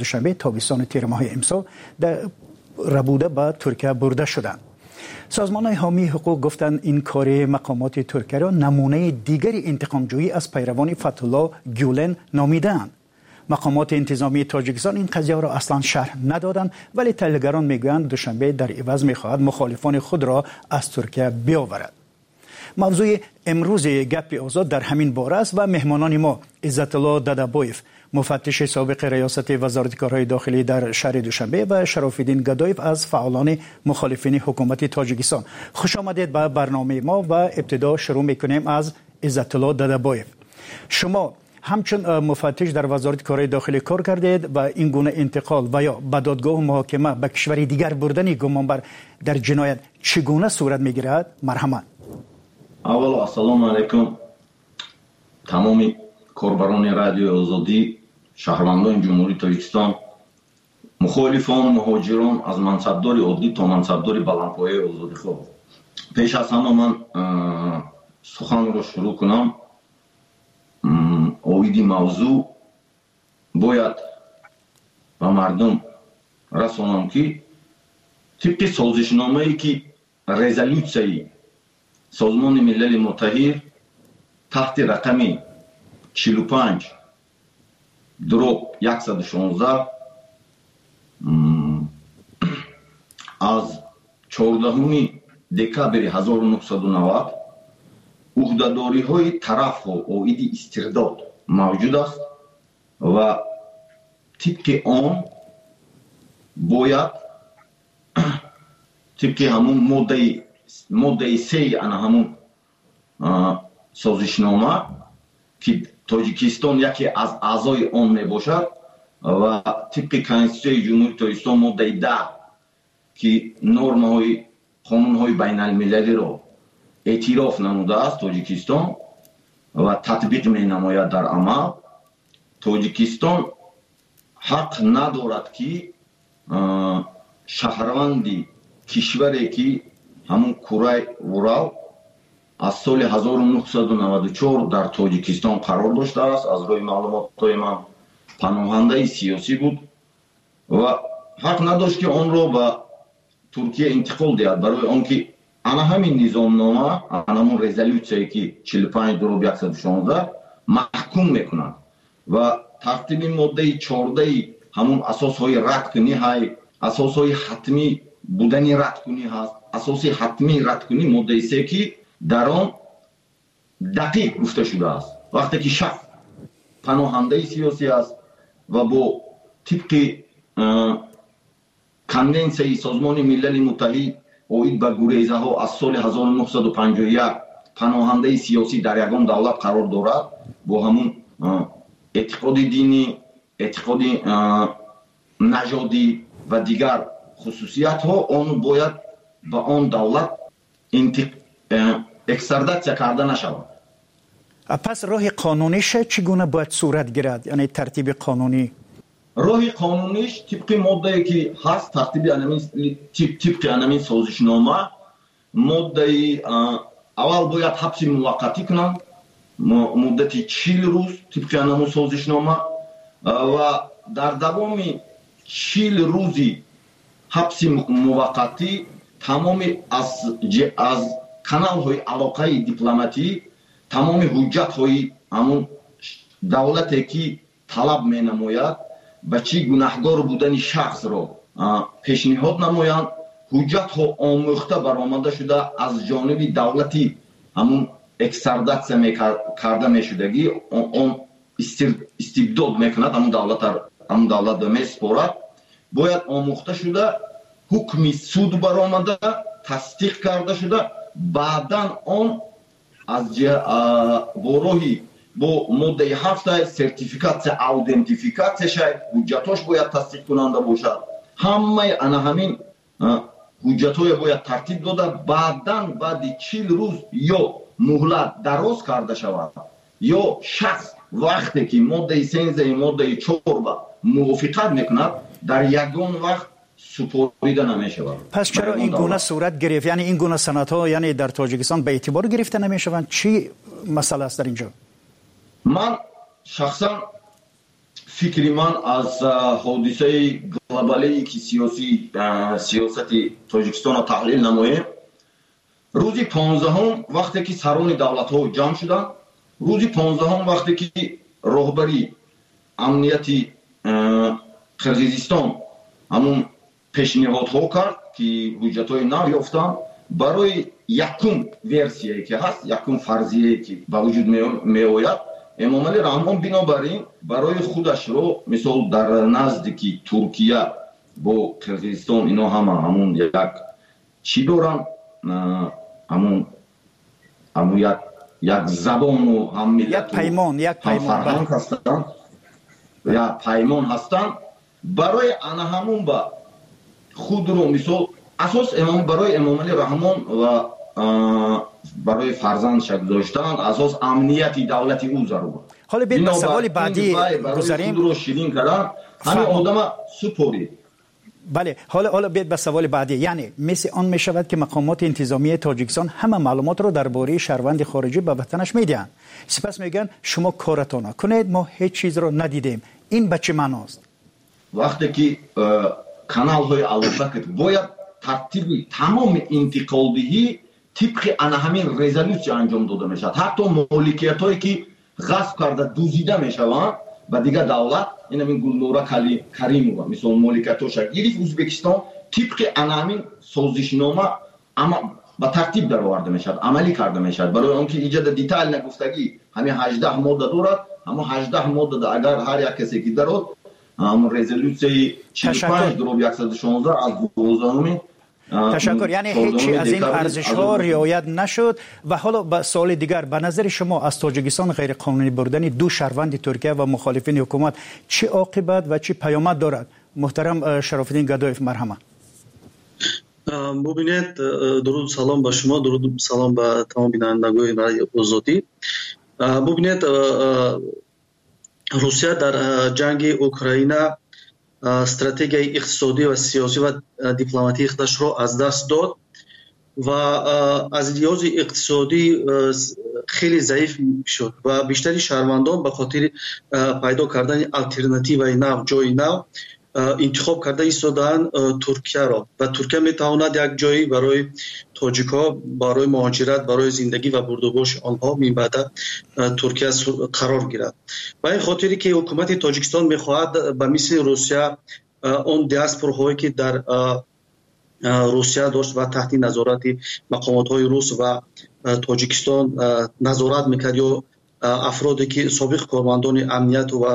Душанбе тобистони тирмоҳи имсол рабуда ба Туркия бурда шуданд. Созмонҳои ҳомии ҳуқуқ гуфтанд, ин кори мақомоти Туркияро намунаи дигари интиқомҷӯӣ аз пайравони Фатҳулло Гюлен номидаанд. Мақомоти интизомии Тоҷикистон ин қазияро аслан шарҳ надоданд, вале таҳлилгарон мегӯянд, Душанбе дар иваз мехоҳад мухолифони худро аз Туркия биёварад. Мавзӯи имрӯзи Гапи Озод дар ҳамин бора аст ва меҳмонони мо Иззатулло Дадабоев, муфаттиши собиқи раёсати Вазорати корҳои дохилӣ дар шаҳри Душанбе, ва Шарофиддин Гадоев аз фаъолони мухолифини ҳукумати Тоҷикистон. Хуш омадед ба барномаи мо ва ибтидо шурӯъ мекунем аз Иззатулло Дадабоев. Шумо ҳамчун муфаттиш дар Вазорати корҳои дохилӣ кор кардед ва ин гуна интиқол ва ё ба додгоҳу муҳокима ба кишвари дигар бурдани гумонбар дар ҷиноят чӣ гуна сурат мегирад? Марҳамат. Аввало, ассалому алайкум тамоми корбарони Радиои Озодӣ, шаҳрвандони Ҷумҳурии Тоҷикистон, мухолифон, муҳоҷирон, аз мансабдори оддӣ то мансабдори баландпояи озодихоҳ. Пеш аз ҳама ман суханро шурӯъ кунам оиди мавзӯъ, бояд ба мардум расонам, ки тибқи созишномае, ки резолюсияи Созмони Милали Муттаҳид таҳти рақами 45/116 аз 14 декабри 1990 уҳдадориҳои тарафҳо оиди истирдод мавҷуд аст ва тибқи он бояд тибқи ҳамун моддаи сеи ана ҳамун созишнома, ки Тоҷикистон яке аз аъзои он мебошад, ва тибқи Конститутсияи Ҷумҳурии Тоҷикистон моддаи 10, ки нормаҳои қонунҳои байналмилалиро эътироф намудааст Тоҷикистон ва татбиқ менамояд дар амал, Тоҷикистон ҳақ надорад, ки шаҳрванди кишваре, ки ҳамун Курай Вурал аз соли 1994 дар Тоҷикистон қарор доштааст, аз рӯи маълумотҳои ман паноҳандаи сиёсӣ буд ва ҳақ надошт, ки онро ба Туркия интиқол диҳад, барои он ки ана ҳамин низомнома, ана ҳамун резолюсияе, ки 45/116 маҳкум мекунад ва тартиби моддаи 14-и ҳамун асосҳои радкунӣ ҳай, асосҳои ҳатмӣ будани радкунӣ ҳаст. Асоси ҳатмии радкунӣ моддаи се, ки дар он дақиқ гуфта шудааст: вақте ки шахс паноҳандаи сиёсӣ аст ва бо тибқи Конвенсияи Созмони Милали Муттаҳид оид ба гурезаҳо аз соли 1951 паноҳандаи сиёсӣ дар ягон давлат қарор дорад, бо ҳамун эътиқоди динӣ, эътиқоди нажодӣ ва дигар хусусиятҳо, он бояд ба он давлат экстрадатсия карда нашавад. Пас роҳи қонуниш чӣ гуна бояд сурат гирад, яъне тартиби қонунӣ? Роҳи қонуниш тибқи моддае, ки ҳаст, тартиби тибқи анамин созишнома, моддаи аввал, бояд ҳабси муваққатӣ кунанд муддати 40 рӯз тибқи анамун созишнома ва дар давоми 40 рӯзи ҳабси муваққатӣ тамоми аз каналҳои алоқаи дипломатӣ, тамоми ҳуҷҷатҳои ҳамун давлате, ки талаб менамояд ба чӣ гунаҳгор будани шахсро пешниҳод намоянд, ҳуҷҷатҳо омӯхта баромада шуда, аз ҷониби давлати ҳамун экстрадатсия карда мешудагӣ, он истибдод мекунад, ҳамун давлатро месупорад, бояд омӯхта шуда, ҳукми суд баромада, тасдиқ карда шуда, баъдан он аз бо роҳи бо моддаи ҳафта сертификатсия, аудентификатсия шай, ҳуҷҷатҳош бояд тасдиқкунанда бошад. Ҳамаи ана ҳамин ҳуҷҷатҳое бояд тартиб дода, баъдан баъди 40 рӯз ё муҳлат дароз карда шавад, ё шахс вақте ки моддаи 13-и моддаи чор ба мувофиқат мекунад, дар ягон вақт супорида намешавад. Пас чаро ин гуна сурат гирифт? Яъне ин гуна санадҳо, яъне дар Тоҷикистон ба эътибор гирифта намешаванд? Чӣ масъала аст дар ин ҷо? Ман шахсан Фикри ман аз ҳодисаи глобалие ки сиёсати Тоҷикистонро таҳлил намоем, рӯзи 15-ум вақте ки сарони давлатҳо ҷамъ шуданд, рӯзи 15-ум вақте ки роҳбари амнияти Қирғизистон ҳамун пешниҳодҳо кард, ки ҳуҷҷатҳои нав ёфтанд, барои якум версияе ки ҳаст, якум фарзияе ки ба вуҷуд меояд, Эмомалӣ Раҳмон бинобар ин барои худашро, мисол, дар назди ки Туркия бо Қирғизистон ино ҳама ҳамун як чӣ доранд, ҳамун як забону ҳам миллату як фарҳанг ҳастанд, як паймон ҳастанд, барои ана ҳамун ба худро, мисол, асос барои Эмомалӣ Раҳмон ва барои фарзандша гузоштан асос амнияти давлати ӯ зарур. Ҳоло биёед ба саволи баъдӣ гузарем. Худро ширин кардан, ҳамин одама супорид. Бале, ҳоло биёед ба саволи баъдӣ. Яъне мисли он мешавад, ки мақомоти интизомии Тоҷикистон ҳама маълумотро дар бораи шаҳрванди хориҷӣ ба ватанаш медиҳанд, сипас мегӯянд, шумо коратонро кунед, мо ҳеҷ чизро надидем. Ин ба чӣ маъност? Вақте ки каналҳои алоқа бояд тартиби тамоми интиқолдиҳӣ тибқи ана ҳамин резолюсия анҷом дода мешавад. Ҳатто моликиятҳое ки ғасб карда, дузида мешаванд ба дигар давлат, ин ҳамин Гулнора Каримова, мисол, моликиятҳоша гирифт Ӯзбекистон, тибқи ана ҳамин созишнома ба тартиб дароварда мешавад, амалӣ карда мешавад. Барои он ки иҷода детально гуфтагӣ, ҳамин 18 модда дорад. Ҳамон 18 моддада агар ҳар як касе ки дарод, ҳамон резолюсияи 45/116 аз 12-уми. Ташаккур. Яъне ҳеҷ аз ин арзишҳо риоят нашуд. Ва ҳоло ба суоли дигар: ба назари шумо, аз Тоҷикистон ғайриқонунӣ бурдани ду шаҳрванди Туркия ва мухолифини ҳукумат чӣ оқибат ва чӣ паёмад дорад? Муҳтарам Шарофиддин Гадоев, марҳамат. Бубинед, дуруду салом ба шумо, дуруду салом ба тамом бинандагони Радио Озодӣ. Бубинед, Русия дар ҷанги Украина стратегияи иқтисодӣ ва сиёсӣ ва дипломатии худашро аз даст дод ва аз лиҳози иқтисодӣ хеле заиф шуд ва бештари шаҳрвандон ба хотири пайдо кардани алтернативаи нав, ҷои нав интихоб карда истодаанд Туркияро. Ва Туркия метавонад як ҷое барои тоҷикҳо, барои муҳоҷират, барои зиндагӣ ва бурдубоши онҳо минбаъда Туркия қарор гирад. Ба ин хотире ки ҳукумати Тоҷикистон мехоҳад ба мисли Русия он диаспораҳое ки дар Русия дошт ва таҳти назорати мақомотҳои рус ва Тоҷикистон назорат мекард ё афроде ки собиқ кормандони амнияту ва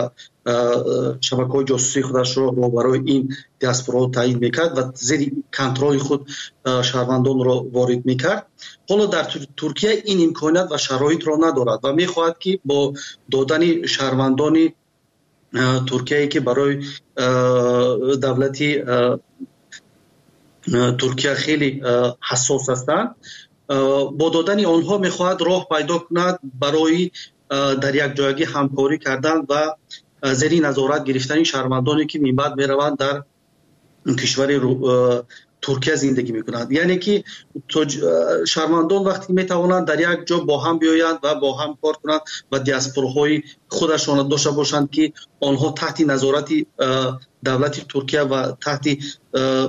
шабакаҳои ҷосусии худашро барои ин диаспораҳо таъйин мекард ва зери контроли худ шаҳрвандонро ворид мекард, ҳоло дар Туркия ин имконият ва шароитро надорад ва мехоҳад, ки бо додани шаҳрвандони Туркияе ки барои давлати Туркия хеле ҳассос ҳастанд, бо додани онҳо мехоҳад роҳ пайдо кунад барои дар якҷоягӣ ҳамкорӣ кардан ва зери назорат гирифтани шаҳрвандоне ки минбаъд мераванд, дар кишвари Туркия зиндагӣ мекунанд. Яъне ки шаҳрвандон вақте метавонанд дар як ҷо бо ҳам биёянд ва бо ҳам кор кунанд ва диаспораҳои худашонро дошта бошанд, ки онҳо таҳти назорати давлати Туркия ва таҳти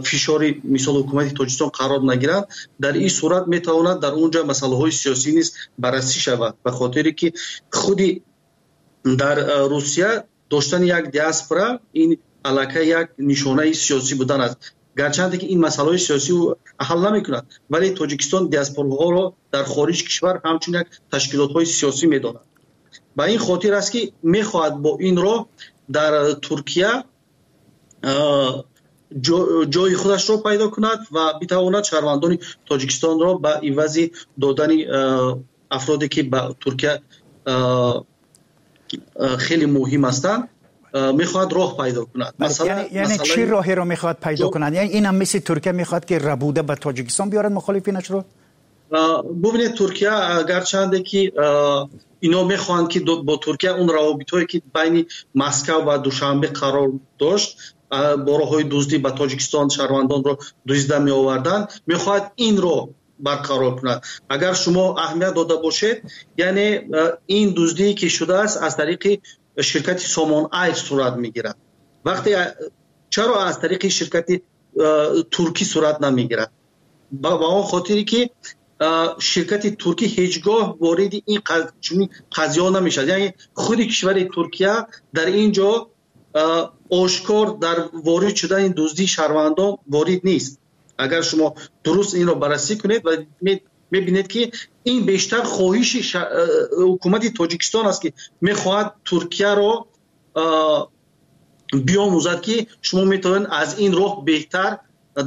фишори, мисол, ҳукумати Тоҷикистон қарор нагиранд, дар ин сурат метавонад дар он ҷо масъалаҳои сиёсӣ низ баррасӣ шавад. Ба хотире ки худи дар Русия доштани як диаспора ин аллакай як нишонаи сиёсӣ будан аст. Гарчанде ки ин масъалаҳои сиёсӣ ҳал намекунад, вале Тоҷикистон диаспораҳоро дар хориҷи кишвар ҳамчун як ташкилотҳои сиёсӣ медонад. Ба ин хотир аст, ки мехоҳад бо ин роҳ дар Туркия ҷои худашро пайдо кунад ва битавонад шаҳрвандони Тоҷикистонро ба ивази додани афроде ки ба Туркия хеле муҳим ҳастанд, мехоҳад роҳ пайдо кунад. Яъне чӣ роҳеро мехоҳад пайдо кунад? Яъне ин ҳам мисли Туркия мехоҳад, ки рабуда ба Тоҷикистон биёрад мухолифинашро? Бубинед, Туркия гарчанде ки ино мехоҳанд, ки бо Туркия он равобитҳое ки байни Москав ва Душанбе қарор дошт, бо роҳҳои дуздӣ ба Тоҷикистон шаҳрвандонро дуздида меоварданд, мехоҳад инро барқарор кунад. Агар шумо аҳамият дода бошед, яъне ин дуздие ки шудааст, аз тариқи Ширкати Сомон Айр сурат мегирад? Вақте чаро аз тариқи ширкати туркӣ сурат намегирад? Ба он хотире ки ширкати туркӣ ҳеҷ гоҳ вориди ин чунин қазияҳо намешавад. Яъне худи кишвари Туркия дар ин ҷо ошкор дар ворид шудани дуздии шаҳрвандон ворид нест. Агар шумо дуруст инро баррасӣ кунед ва мебинед, ки ин бештар хоҳиши ҳукумати Тоҷикистон аст, ки мехоҳад Туркияро биомӯзад, ки шумо метавонед аз ин роҳ беҳтар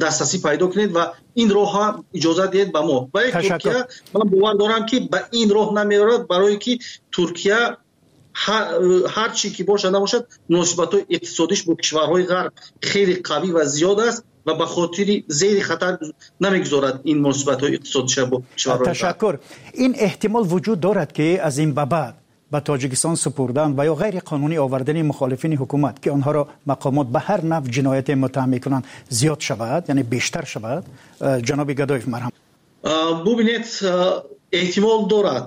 дастрасӣ пайдо кунед ва ин роҳа иҷозат диҳед ба мо. Вале Туркия, ман бовар дорам, ки ба ин роҳ намеорад, барое ки Туркия ҳар чӣ ки бошад набошад, муносибатҳои иқтисодиш бо кишварҳои Ғарб хеле қавӣ ва зиёд аст ва ба хотири зери хатар намегузорад ин муносибатҳои иқтисодиша бо кишварҳои. Ташаккур. Ин эҳтимол вуҷуд дорад, ки аз ин ба баъд ба Тоҷикистон супурдан ва ё ғайриқонунӣ овардани мухолифини ҳукумат, ки онҳоро мақомот ба ҳар навъ ҷинояте муттаҳам мекунанд, зиёд шавад, яъне бештар шавад? Ҷаноби Гадоев, марҳам. Бубинед, эҳтимол дорад.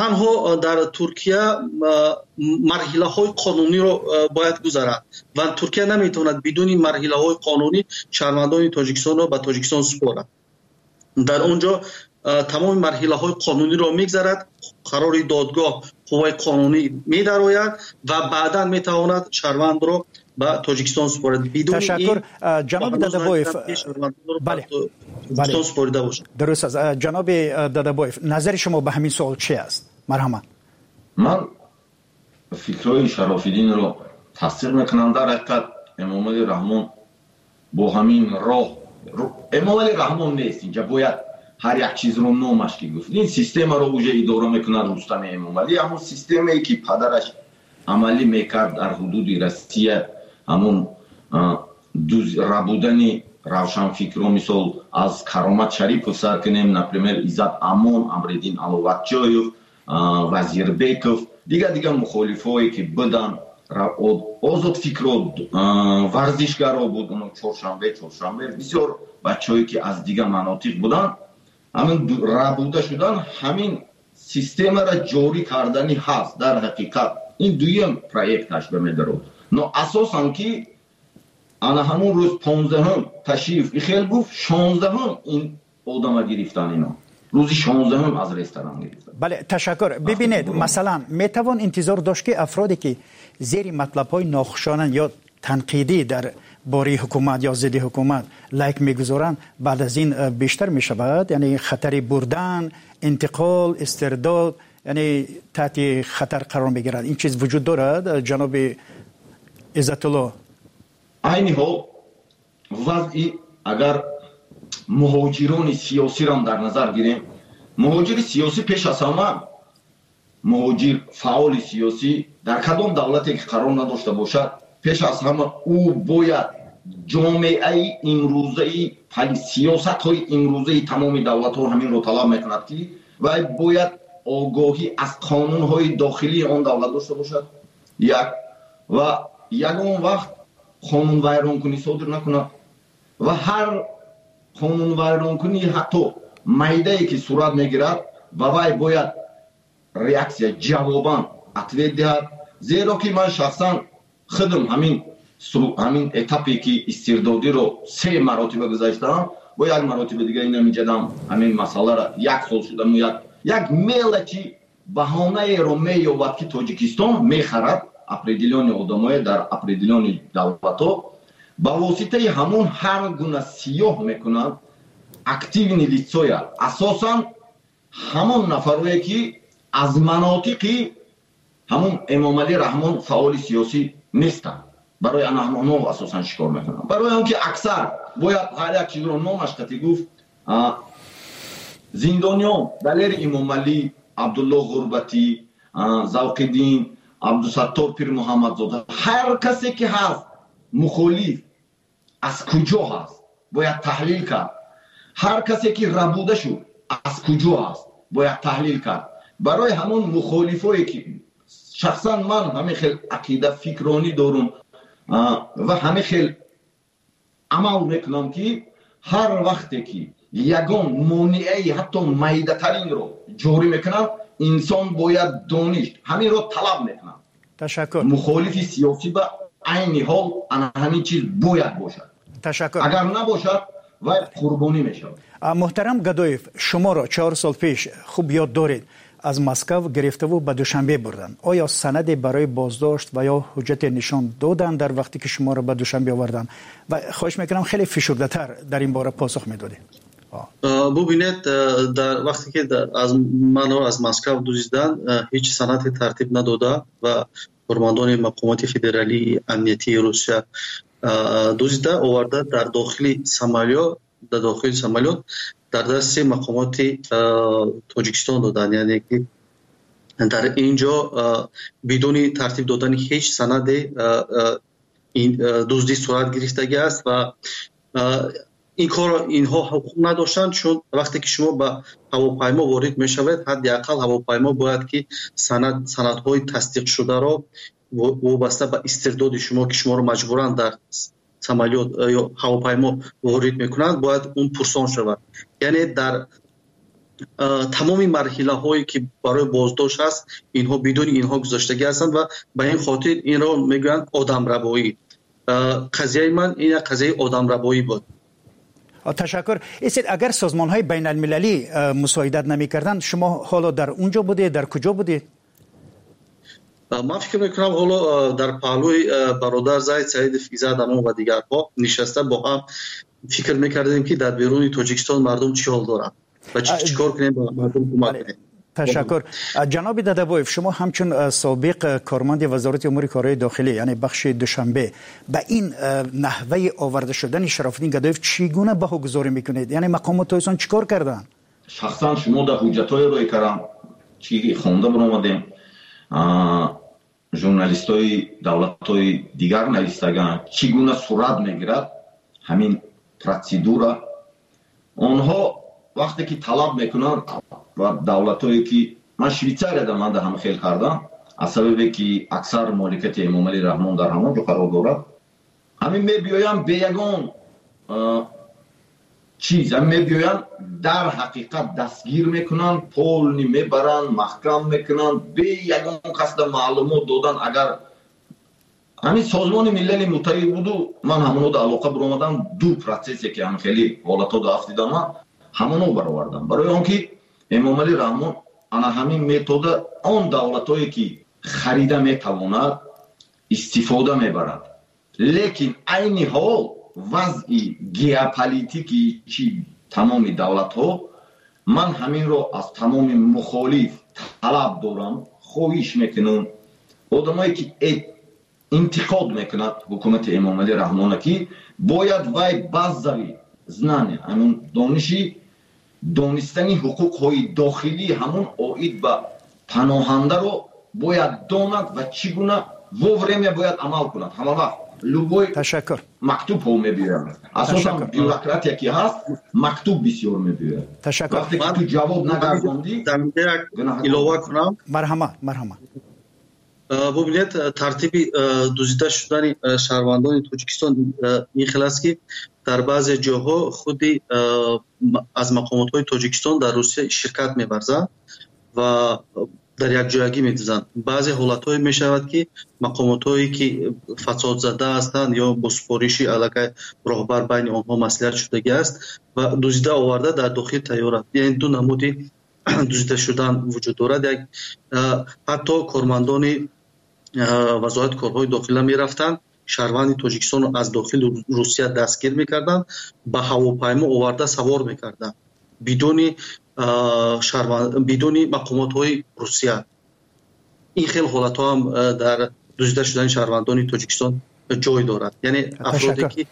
Танҳо дар Туркия марҳилаҳои қонуниро бояд гузарад ва Туркия наметавонад бидуни марҳилаҳои қонунӣ шаҳрвандони Тоҷикистонро ба Тоҷикистон супорад. Дар он ҷо тамоми марҳилаҳои қонуниро мегзарад, қарори додгоҳ қувваи қонунӣ медарояд ва баъдан метавонад шаҳрвандро ба Тоҷикистон супорад. Ташаккур, ҷаноби Дадабоев. Бале, супорида бошад. Дуруст аст. Ҷаноби Дадабоев, назари шумо ба ҳамин суол чи аст? Марҳамат. Ман фикрҳои Шарофиддинро тасдиқ мекунам. Дар ҳақиқат, Эмомалӣ Раҳмон бо ҳамин роҳ, Эмомалӣ Раҳмон нест, инҷа бояд ҳар як чизро номаш ки гуфт, ин системаро уже идора мекунад Рустами Эмомалӣ, ҳамон системае ки падараш амалӣ мекард дар ҳудуди Россия, ҳамон рабудани равшанфикро. Мисол, аз Каромат Шарипов сар кунем, например, Иззат Амон, Амриддин Аловатҷоев, Вазирбеков, дигар дигар мухолифое ки буданд, озодфикро, варзишгаро буд, чоршанбе, бисёр бачаҳое ки аз дигар манотиқ буданд, ҳамин рабуда шудан, ҳамин системаро ҷорӣ кардани ҳаст. Дар ҳақиқат, ин дуюм проекташ ба медарод, но асосан ки ана ҳамун рӯз 15-ҳум Ташиев ихел гуфт, 16-ҳум ин одама гирифтан, ино рӯзи 16-ҳум аз ресторан гирифтан. Бале, ташаккур. Бибинед, масалан, метавон интизор дошт, ки афроде ки зери матлабҳои нохушонанд ё танқидӣ дар бораи ҳукумат ё зидди ҳукумат лайк мегузоранд, баъд аз ин бештар мешавад, яъне хатари бурдан, интиқол, истирдод, яъне таҳти хатар қарор мегирад? Ин чиз вуҷуд дорад, ҷаноби Иззатулло? Айни ҳол вазъи, агар муҳоҷирони сиёсиро дар назар гирем, муҳоҷири сиёсӣ, пеш аз ҳама муҳоҷир фаъоли сиёсӣ дар кадом давлате ки қарор надошта бошад, пеш аз ҳама ӯ бояд ҷомеаи имрӯзаи, сиёсатҳои имрӯзаи тамоми давлатҳо ҳаминро талаб мекунад, ки вай бояд огоҳӣ аз қонунҳои дохилии он давлат дошта бошад, як, ва ягон вақт қонунвайронкунӣ содир накунад ва ҳар қонунвайронкунӣ, ҳатто майдае ки сурат мегирад, ба вай бояд реаксия, ҷавобан ответ диҳад. Зеро ки ман шахсан худам ҳамин этапе ки истирдодиро се маротиба гузаштаам, бо як маротиба дига инамиҷадам ҳамин масъалара як сол шудаму як мелочи баҳонаеро меёбад, ки Тоҷикистон мехарад определённый одамое дар определённый давлатҳо, ба воситаи ҳамон ҳар гуна сиёҳ мекунанд активный лицоя, асосан ҳамон нафарое ки аз манотиқи ҳамон Эмомалӣ Раҳмон фаъоли сиёсӣ нестанд. Барои ана ҳамонҳо асосан шикор мекунанд, барои он ки аксар бояд ҳар як чизро номаш қатӣ гуфт. Зиндониён Далери Имомалӣ, Абдулло Ғурбатӣ, Завқиддин, Абдусаттор Пирмуҳаммадзода, ҳар касе ки ҳаст мухолиф, аз куҷо ҳаст, бояд таҳлил кард. Ҳар касе ки рабуда шуд, аз куҷо ҳаст, бояд таҳлил кард. Барои ҳамон мухолифое ки шахсан ман ҳамин хел ақида, фикронӣ дорум ва ҳамин хел амал мекунам, ки ҳар вақте ки ягон монеаи ҳатто майдатаринро ҷорӣ мекунанд, инсон бояд дониш ҳаминро талаб мекунад. Ташаккур. Мухолифи сиёсӣ ба айни ҳол ана ҳамин чиз бояд бошад. Ташаккур. Агар набошад, вай қурбонӣ мешавад. Муҳтарам Гадоев, шуморо 4 сол пеш, хуб ёд доред, аз Москав гирифтаву ба Душанбе бурданд. Оё санаде барои боздошт ва ё ҳуҷҷате нишон доданд дар вақте ки шуморо ба Душанбе оварданд? Ва хоҳиш мекунам, хеле фишурдатар дар ин бора посух медодед. Бубинед, дар вақте ки аз манро аз Москав дуздиданд, ҳеҷ санаде тартиб надода ва кормандони мақомоти федералии амниятии Русия дуздида оварда, дар дохили самолёт, дар дасти мақомоти Тоҷикистон доданд. Яъне ки дар ин ҷо бидуни тартиб додани ҳеҷ санаде дуздӣ сурат гирифтагӣ аст ва ин корро инҳо ҳуқуқ надоштанд, чун вақте ки шумо ба ҳавопаймо ворид мешавед, ҳадди ақал ҳавопаймо бояд ки санадҳои тасдиқшударо вобаста ба истирдоди шумо, ки шуморо маҷбуран дар самолёт ё ҳавопаймо ворид мекунанд, бояд он пурсон шавад. Яъне дар тамоми марҳилаҳое ки барои боздошт ҳаст, инҳо бидуни инҳо гузаштагӣ ҳастанд ва ба ин хотир инро мегӯянд одамрабоӣ. Қазияи ман ин як қазияи одамрабоӣ буд. Ташаккур. Истед, агар созмонҳои байналмилалӣ мусоидат намекарданд, шумо ҳоло дар он ҷо будед, дар куҷо будед? Ман фикр мекунам, ҳоло дар паҳлӯи бародар Зайд Саидов, Иззат Амон ва дигарҳо нишаста, бо ҳам фикр мекардем, ки дар беруни Тоҷикистон мардум чӣ ҳол доранд ва чӣ кор кунем, ба мардум кӯмак кунем. Ташаккур. Ҷаноби Дадабоев, шумо ҳамчун собиқ корманди Вазорати умури корҳои дохилӣ, яъне бахши Душанбе, ба ин наҳваи оварда шудани Шарофиддин Гадоев чӣ гуна баҳогузорӣ мекунед? Яъне мақомот тоҷикистон чӣ кор карданд? Шахсан шумо дар ҳуҷҷатҳое рӯй кардам, чӣ хонда баромадем, журналистҳои давлатҳои дигар навистаганд, чӣ гуна сурат мегирад ҳамин процедура. Онҳо вақте ки талаб мекунанд ва давлатҳое ки ман Швейтсарияда ман ҳам хел кардам, аз сабабе ки аксар моликияти Эмомалӣ Раҳмон дар ҳамон ҷо қарор дорад, ҳамин мебиёянд бе ягон чиз, ҳамин мебиёянд, дар ҳақиқат дастгир мекунанд, полный мебаранд, маҳкам мекунанд, бе ягон касда маълумот додан. Агар ҳамин Созмони Милали Муттаҳид буду, ман ҳамонода алоқа биромадам. Ду процессе ки ҳам хеле ҳолатҳода афтидам, ман ҳамоно баровардам, барои он ки Эмомалӣ Раҳмон ана ҳамин метода он давлатҳое ки харида метавонад, истифода мебарад. Лекин айни ҳол вазъи геополитики чи тамоми давлатҳо, ман ҳаминро аз тамоми мухолиф талаб дорам, хоҳиш мекунам, одамое ки интиқод мекунад ҳукумати Эмомалӣ Раҳмона, ки бояд вай базовый знания, ҳамун дониши донистани ҳуқуқҳои дохилии ҳамун оид ба паноҳандаро бояд донад ва чӣ гуна вовремя бояд амал кунад. Ҳама вақт любой Ташаккур. мактубҳо мебиёяд, асосан бюрократия ки ҳаст, мактуб бисёр мебиёяд. Ташаккур. Вақте ки ту ҷавоб нагардондӣ. Як илова кунам. Марҳамат, марҳамат. Бубинед, тартиби дуздида шудани шаҳрвандони Тоҷикистон ин хел аст, ки дар баъзе ҷоҳо худи аз мақомотҳои Тоҷикистон дар Русия ширкат меварзанд ва дар якҷоягӣ медузданд. Баъзе ҳолатҳое мешавад, ки мақомотҳое ки фасодзада ҳастанд ё бо супориши аллакай роҳбар байни онҳо маслиҳат шудагӣ аст ва дуздида оварда дар дохили тайёра. Яъне ду намуди дуздида шудан вуҷуд дорад. Як ҳатто кормандони Вазорати корҳои дохила мерафтанд, шаҳрванди Тоҷикистонро аз дохили Русия дастгир мекарданд, ба ҳавопаймо оварда савор мекарданд бидуни мақомотҳои Русия. Ин хел ҳолатҳо ҳам дар дуздида шудани шаҳрвандони Тоҷикистон ҷой дорад, яъне афроде ки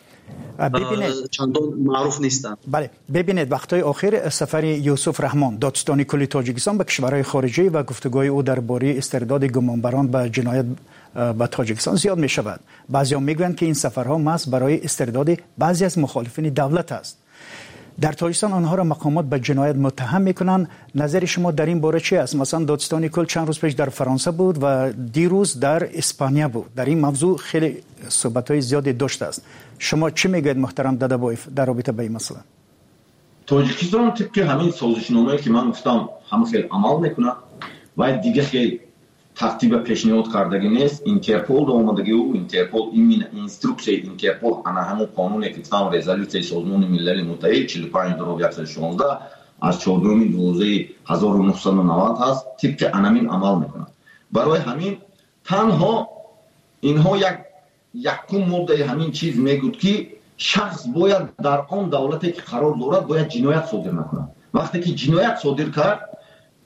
чандон маъруф нестанд. Бале, бибинед, вақтҳои охир сафари Юсуф Раҳмон, додситони кулли Тоҷикистон, ба кишварҳои хориҷӣ ва гуфтугӯи ӯ дар бораи истирдоди гумонбарон ба ҷиноят ба Тоҷикистон зиёд мешавад. Баъзеҳо мегӯянд, ки ин сафарҳо маҳз барои истирдоди баъзе аз мухолифини давлат аст. Дар Тоҷикистон онҳоро мақомот ба ҷиноят муттаҳам мекунанд. Назари шумо дар ин бора чи аст? Масалан, додситони кул чанд рӯз пеш дар Фаронса буд ва дирӯз дар Испания буд. Дар ин мавзӯъ хеле суҳбатҳои зиёде доштааст. Шумо чӣ мегӯед, муҳтарам Дадабоев, дар робита ба ин масъала? Тоҷикистон тибқи ҳамин созишномае ки ман гуфтам, ҳама хел амал мекунад ва дига хел. тартиба пешниҳод кардагӣ нест. Интерпол омадагиу Интерпол, именно инструксияи Интерпол, ана ҳамун қонуне ки гуфтам, резолюсияи Созмони Милали Муттаҳид 45/116 аз 4-12/1990 ҳаст, тибқи анамин амал мекунад. Барои ҳамин танҳо инҳо як якум моддаи ҳамин чиз мегӯд, ки шахс бояд дар он давлате ки қарор дорад, бояд ҷиноят содир накунад. Вақте ки ҷиноят содир кард,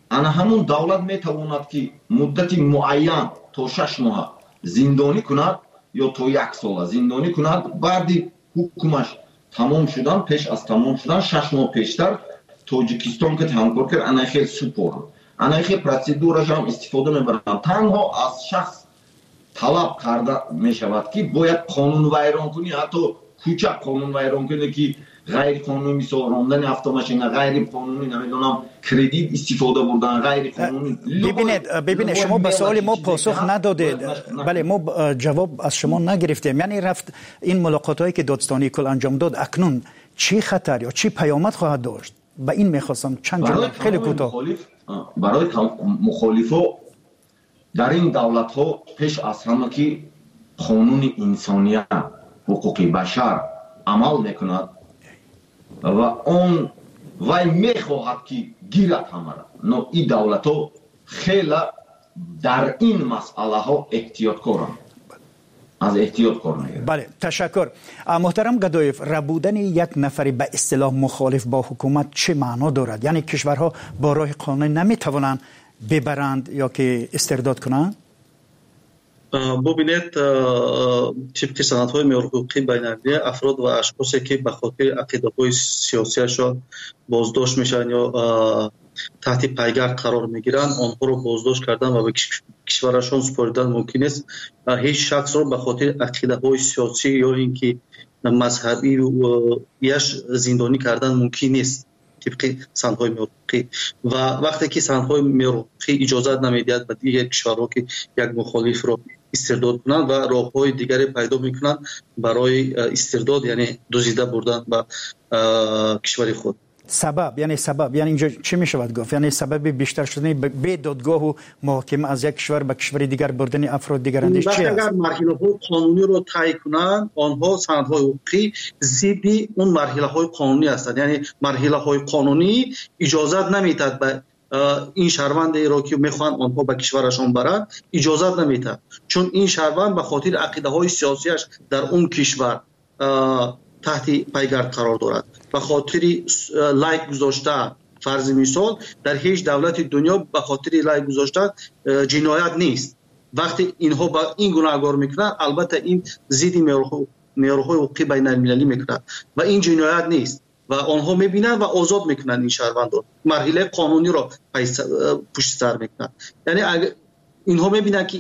ана ҳамун давлат метавонад, ки муддати муайян то 6 моҳа зиндонӣ кунад ё то як сола зиндонӣ кунад. Баъди ҳукмаш тамом шудан, пеш аз тамом шудан, 6 моҳ пештар Тоҷикистон ки ҳамкор кард, ана хел супорад, ана хел процедурашам истифода мебаранд. Танҳо аз шахс талаб карда мешавад, ки бояд қонунвайронкунӣ, ҳатто кӯчак қонунвайронкунӣ, ки ғайриқонунӣ, мисол, рондани автомашина ғайриқонунӣ, намедонам, кредит истифода бурдан ғайриқонунӣ. Бибинед, шумо ба суоли мо посух надодед. Бале, мо ҷавоб аз шумо нагирифтем. Яъне рафт ин мулоқотҳое ки додстонии кул анҷом дод, акнун чӣ хатар ё чӣ паёмад хоҳад дошт? Ба ин мехостам чанд ҷумла, хеле кӯтоҳ. Барои мухолифо дар ин давлатҳо пеш аз ҳама ки қонуни инсоният, ҳуқуқи башар амал мекунад ва он вай мехоҳад, ки гирад ҳамара, но ин давлатҳо хела дар ин масъалаҳо эҳтиёткоранд, аз эҳтиёт кор мегирад. Бале, ташаккур. Муҳтарам Гадоев, рабудани як нафари ба истилоҳ мухолиф бо ҳукумат чӣ маъно дорад? Яъне кишварҳо бо роҳи қонунӣ наметавонанд бибаранд ё ки истирдод кунанд? Бубинед, тибқи санадҳои меъёрҳуқуқии байналмилалӣ, афрод ва ашхосе, ки ба хотири ақидаҳои сиёсиашон боздошт мешаванд ё таҳти пайгард қарор мегиранд, онҳоро боздошт кардан ва ба кишварашон супоридан мумкин нест. Ҳеҷ шахсро ба хотири ақидаҳои сиёсӣ ё ин ки мазҳабияш зиндонӣ кардан мумкин нест тибқи санадҳои меъёрҳуқуқӣ. Ва вақте ки санадҳои меъёрҳуқуқӣ иҷозат намедиҳад ба дигар кишварҳо, ки як мухолифро истирдод кунанд, ва роҳҳои дигаре пайдо мекунанд барои истирдод, яъне дуздида бурдан ба кишвари худ. Сабаб, яъне сабаб, яъне инҷо чӣ мешавад гуфт? Яъне сабаби бештар шудани бе додгоҳу муҳокима аз як кишвар ба кишвари дигар бурдани афрод дигарандеш чи аст? Агар марҳилаҳои қонуниро тай кунанд, онҳо санадҳои ҳуқуқӣ зидди он марҳилаҳои қонунӣ ҳастанд. Яъне марҳилаҳои қонунӣ иҷозат намедиҳад ба ин шаҳрвандеро, ки мехоҳанд онҳо ба кишварашон баранд, иҷозат намедиҳад, чун ин шаҳрванд ба хотири ақидаҳои сиёсиаш дар он кишвар таҳти пайгард қарор дорад. Ба хотири лайк гузошта, фарзи мисол, дар ҳеҷ давлати дунё ба хотири лайк гузошта ҷиноят нест. Вақте инҳо ба ин гунаҳгор мекунанд, албатта, ин зидди меъёрҳои ҳуқуқи байналмилалӣ мекунад ва ин ҷиноят нест. Ва онҳо мебинанд ва озод мекунанд ин шаҳрвандро, марҳилаи қонуниро пушти сар мекунанд. Яъне инҳо мебинанд, ки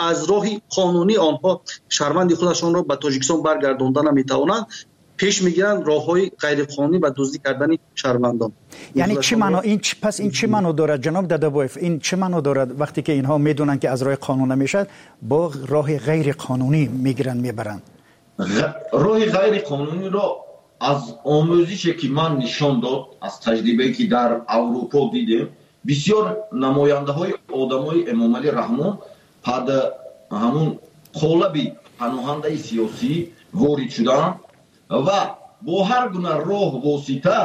аз роҳи қонунӣ онҳо шаҳрванди худашонро ба Тоҷикистон баргардонда наметавонанд, пеш мегиранд роҳҳои ғайриқонунӣ ва дуздӣ кардани шаҳрвандон. Яъне чӣ маъно ин, пас ин чӣ маъно дорад, ҷаноб Дадабоев? Ин чӣ маъно дорад, вақте ки инҳо медонанд, ки аз роҳи қонун намешавад, бо роҳи ғайриқонунӣ мегиранд, мебаранд? Роҳи ғайриқонуниро аз омӯзише, ки ман нишон дод, аз таҷрибае, ки дар Аврупо дидем, бисёр намояндаҳои одамои Эмомалӣ Раҳмон пад ҳамун қолаби паноҳандаи сиёсӣ ворид шуданд ва бо ҳар гуна роҳ, восита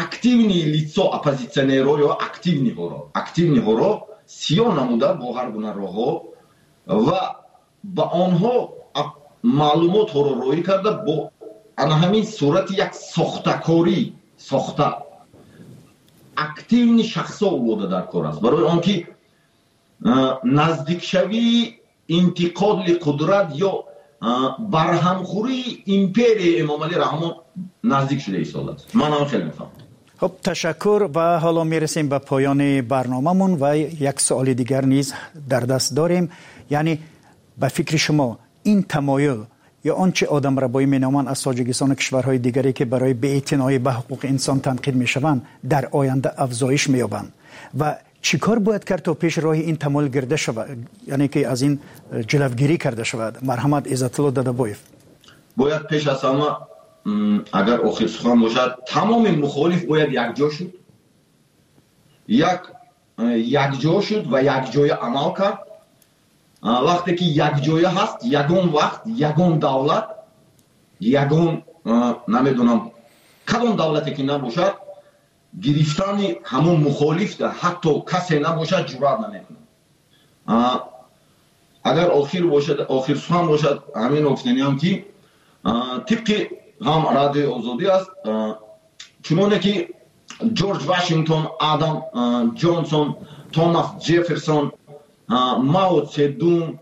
активный лицо, оппозитсионерҳо ё активныйҳоро сиёҳ намуда, бо ҳар гуна роҳҳо ва ба онҳо маълумотҳоро роҳӣ карда, бо ана ҳамин сурати як сохтакорӣ сохта активный шахсҳо овода дар кор аст, барои он ки наздикшавии интиқоли қудрат ё барҳамхӯрии империяи Эмомалӣ Раҳмон наздик шуда истодааст. Ман ҳам хеле мефаҳмам. Хуб, ташаккур. Ва ҳоло мерасем ба поёни барномамон ва як суоли дигар низ дар даст дорем. Яъне ба фикри шумо, ин тамоюл ё он чи одамрабоӣ меноманд аз Тоҷикистону кишварҳои дигаре, ки барои беэътиноӣ ба ҳуқуқи инсон танқид мешаванд, дар оянда афзоиш меёбанд ва чӣ кор бояд кард, то пеш роҳи ин тамоюл гирда шавад, яъне ки аз ин ҷилавгирӣ карда шавад? Марҳамат, Иззатулло Дадабоев. Бояд пеш аз ҳама, агар охир сухан бошад, тамоми мухолиф бояд якҷо шуд, як якҷо шуд ва якҷоя амал кард. Вақте ки якҷоя ҳаст, ягон вақт ягон давлат, ягон, намедонам, кадом давлате ки набошад, гирифтани ҳамон мухолиф ҳатто касе набошад, ҷуръат намекунад. Агар охир бошад, охир сухан бошад, ҳамин гуфтаниам, ки тибқи ҳам Радиои Озодӣ аст, чуноне ки Ҷорҷ Вашингтон, Адам Ҷонсон, Томас Ҷефферсон, Мао Цедун,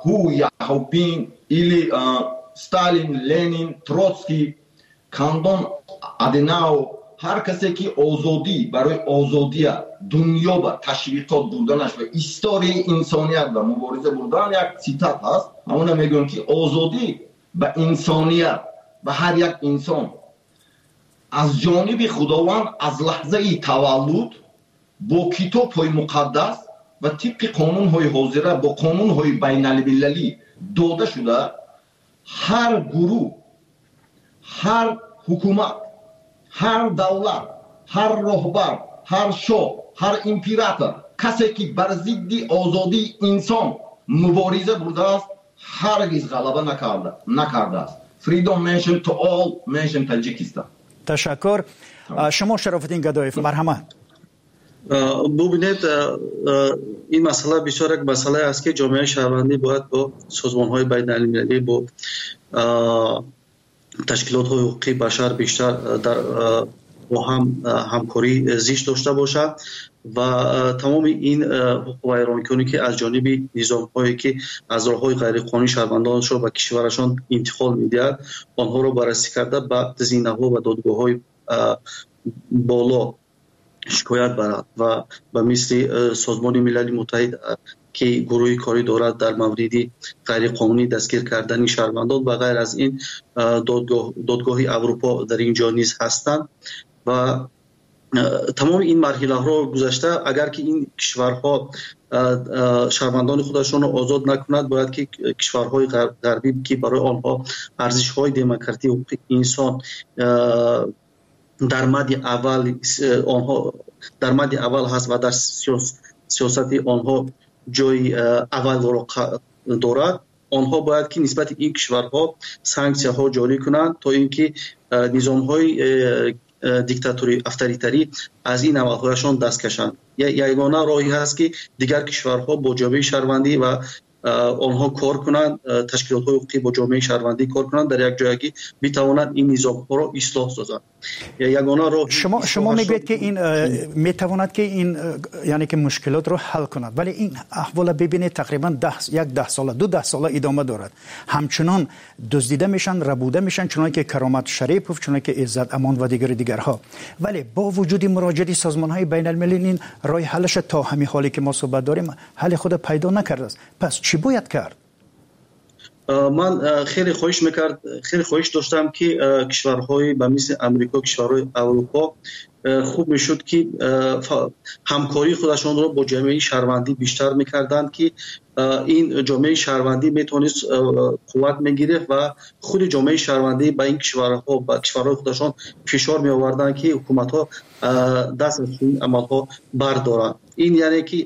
Ху Яобин или Сталин, Ленин, Троцкий, Кандон Аденао, ҳар касе ки озодӣ, барои озодия дунё ба ташвиқот бурданаш ва историяи инсоният ба мубориза бурдан, як цитат ҳаст, ҳамона мегӯям, ки озодӣ ба инсоният, ба ҳар як инсон аз ҷониби Худованд аз лаҳзаи таваллуд бо китобҳои муқаддас ва тибқи қонунҳои ҳозира, бо қонунҳои байналмилалӣ дода шуда, ҳар гурӯҳ, ҳар ҳукумат, ҳар давлат, ҳар роҳбар, ҳар шоҳ, ҳар император, касе ки бар зидди озодии инсон мубориза бурдааст, ҳаргиз ғалаба накардааст. Freedom nation to all nation, Tajikistan. Ташаккур. Шумо, Шарофиддин Гадоев, марҳамат. Бубинед, ин масъала бисёр як масъалае аст, ки ҷомеаи шаҳрвандӣ бояд бо созмонҳои байналмилалӣ, бо ташкилотҳои ҳуқуқи башар бештар дар бо ҳам ҳамкорӣ зич дошта бошад ва тамоми ин ҳуқуқвайронкуне, ки аз ҷониби низомҳое, ки аз роҳҳои ғайриқонунӣ шаҳрвандонашро ба кишварашон интиқол медиҳад, онҳоро баррасӣ карда, ба зинаҳо ва додгоҳҳои боло шикоят барад ва ба мисли Созмони Милали Муттаҳид, ки гурӯҳи корӣ дорад дар мавриди ғайриқонунӣ дастгир кардани шаҳрвандон, ба ғайр аз ин Додгоҳи Аврупо дар ин ҷо низ ҳастанд ва тамоми ин марҳилаҳоро гузашта, агар ки ин кишварҳо шаҳрвандони худашонро озод накунад, бояд ки кишварҳои ғарбӣ, ки барои онҳо арзишҳои демократӣ, ҳуқуқи инсон дар мадди аввал, онҳо дар мадди аввал ҳаст ва дар сиёсати онҳо ҷои аввалро дорад, онҳо бояд ки нисбати ин кишварҳо санксияҳо ҷорӣ кунанд, то ин ки низомҳои диктаторӣ, авторитарӣ аз ин амалҳояшон даст кашанд. Ягона роҳе ҳаст, ки дигар кишварҳо бо ҷомеаи шаҳрвандӣ ва онҳо кор кунанд, ташкилотҳои ҳуқуқӣ бо ҷомеаи шаҳрвандӣ кор кунанд, дар як ҷоягӣ битавонанд ин низомҳоро ислоҳ созанд. Ягона роҳ. Шумо мегӯед, ки ин метавонад, ки ин, яъне ки мушкилотро ҳал кунад, вале ин аҳвола бибинед, тақрибан як 10 сола, ду даҳсола идома дорад. Ҳамчунон дуздида мешаванд, рабуда мешаванд, чуноне ки Каромат Шарипов, чуноне ки Иззат Амон ва дигари дигарҳо. Вале бо вуҷуди муроҷиати созмонҳои байналмилалӣ, ин роҳи ҳалаша то ҳамин ҳоле ки мо суҳбат дорем, ҳалли худа пайдо накардааст. Пас чӣ бояд кард? Ман хеле хоҳиш мекард, хеле хоҳиш доштам, ки кишварҳои ба мисли Амрико, кишварҳои Аврупо хуб мешуд, ки ҳамкории худашонро бо ҷомеаи шаҳрвандӣ бештар мекарданд, ки ин ҷомеаи шаҳрвандӣ метавонист қувват мегирифт ва худи ҷомеаи шаҳрвандӣ ба ин кишварҳо, ба кишварҳои худашон фишор меоварданд, ки ҳукуматҳо даст аз чунин амалҳо бардоранд. Ин яъне ки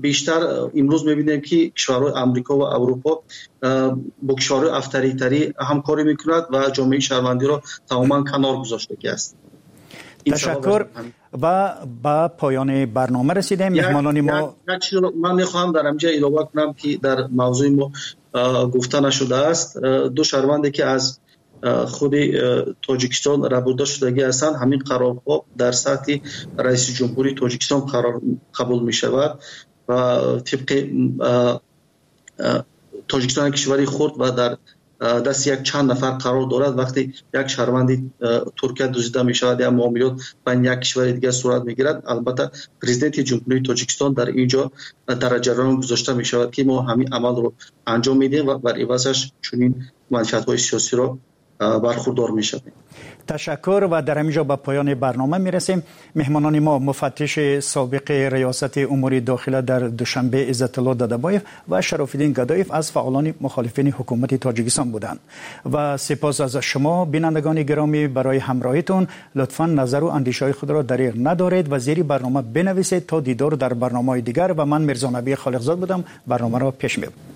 бештар имрӯз мебинем, ки кишварҳои Амрико ва Аврупо бо кишварҳои авторитарӣ ҳамкорӣ мекунад ва ҷомеаи шаҳрвандиро тамоман канор гузоштагӣ аст. Ташаккур ва ба поёни барнома расидем. Меҳмонони мо Як чизро ман мехоҳам дар ҳаминҷа илова кунам, ки дар мавзӯи мо гуфта нашудааст. Ду шаҳрванде, ки аз худи Тоҷикистон рабуда шудагӣ ҳастанд, ҳамин қарорҳо дар сатҳи раиси ҷумҳурии Тоҷикистон қарор қабул мешавад ва тибқи Тоҷикистон як кишвари хурд ва дар дасти як чанд нафар қарор дорад. Вақте як шаҳрванди Туркия дуздида мешавад я муомилот байни як кишвари дигар сурат мегирад, албатта, президенти Ҷумҳурии Тоҷикистон дар ин ҷо дар ҷараён гузошта мешавад, ки мо ҳамин амалро анҷом медиҳем ва бар ивазаш чунин манфиатҳои сиёсиро Бархурдор мешавем. Ташаккур ва дар ҳамин ҷо ба поёни барнома мерасем. Меҳмонони мо муфаттиши собиқи Риёсати умури дохила дар Душанбе Иззатулло Дадабоев ва Шарофиддин Гадоев аз фаъолони мухолифини ҳукумати Тоҷикистон буданд. Ва сипос аз шумо, бинандагони гиромӣ, барои ҳамроҳитон. Лутфан назару андешаҳои худро дариғ надоред ва зери барнома бинависед. То дидор дар барномаҳои дигар, ва ман Мирзонабӣ Холиқзод будам, барномаро пеш мебурдам.